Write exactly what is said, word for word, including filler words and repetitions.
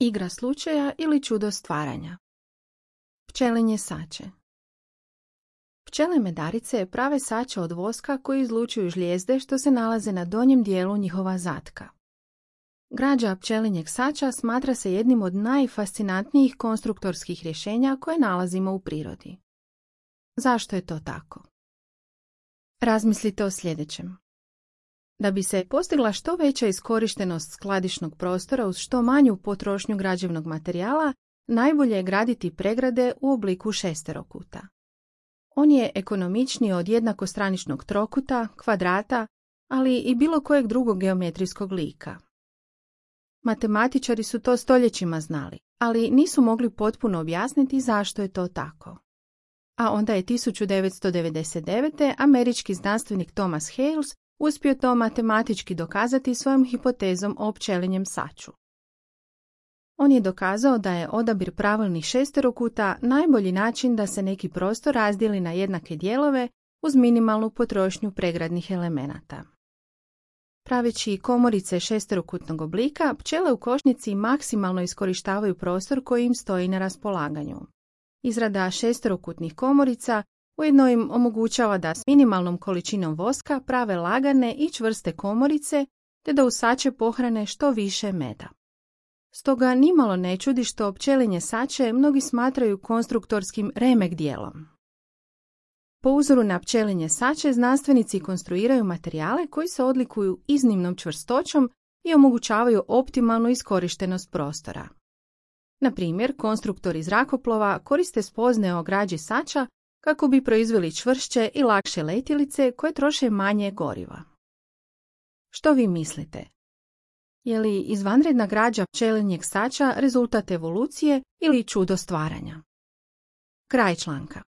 Igra slučaja ili čudo stvaranja. Pčelinje sače. Pčele medarice prave sače od voska koji izlučuju žlijezde što se nalaze na donjem dijelu njihova zatka. Građa pčelinjeg sača smatra se jednim od najfascinantnijih konstruktorskih rješenja koje nalazimo u prirodi. Zašto je to tako? Razmislite o sljedećem. Da bi se postigla što veća iskorištenost skladišnog prostora uz što manju potrošnju građevnog materijala, najbolje je graditi pregrade u obliku šesterokuta. On je ekonomičniji od jednakostraničnog trokuta, kvadrata, ali i bilo kojeg drugog geometrijskog lika. Matematičari su to stoljećima znali, ali nisu mogli potpuno objasniti zašto je to tako. A onda je tisuću devetsto devedeset devete. američki znanstvenik Thomas Hales uspio to matematički dokazati svojom hipotezom o pčelinjem saču. On je dokazao da je odabir pravilnih šesterokuta najbolji način da se neki prostor razdijeli na jednake dijelove uz minimalnu potrošnju pregradnih elemenata. Praveći komorice šesterokutnog oblika, pčele u košnici maksimalno iskorištavaju prostor koji im stoji na raspolaganju. Izrada šesterokutnih komorica ujedno im omogućava da s minimalnom količinom voska prave lagane i čvrste komorice te da u sače pohrane što više meda. Stoga nimalo ne čudi što pčelinje sače mnogi smatraju konstruktorskim remek dijelom. Po uzoru na pčelinje sače znanstvenici konstruiraju materijale koji se odlikuju iznimnom čvrstoćom i omogućavaju optimalnu iskorištenost prostora. Na primjer, konstruktori zrakoplova koriste spoznaje o građi sača kako bi proizveli čvršće i lakše letjelice koje troše manje goriva. Što vi mislite? Je li izvanredna građa pčelinjeg sača rezultat evolucije ili čudo stvaranja? Kraj članka.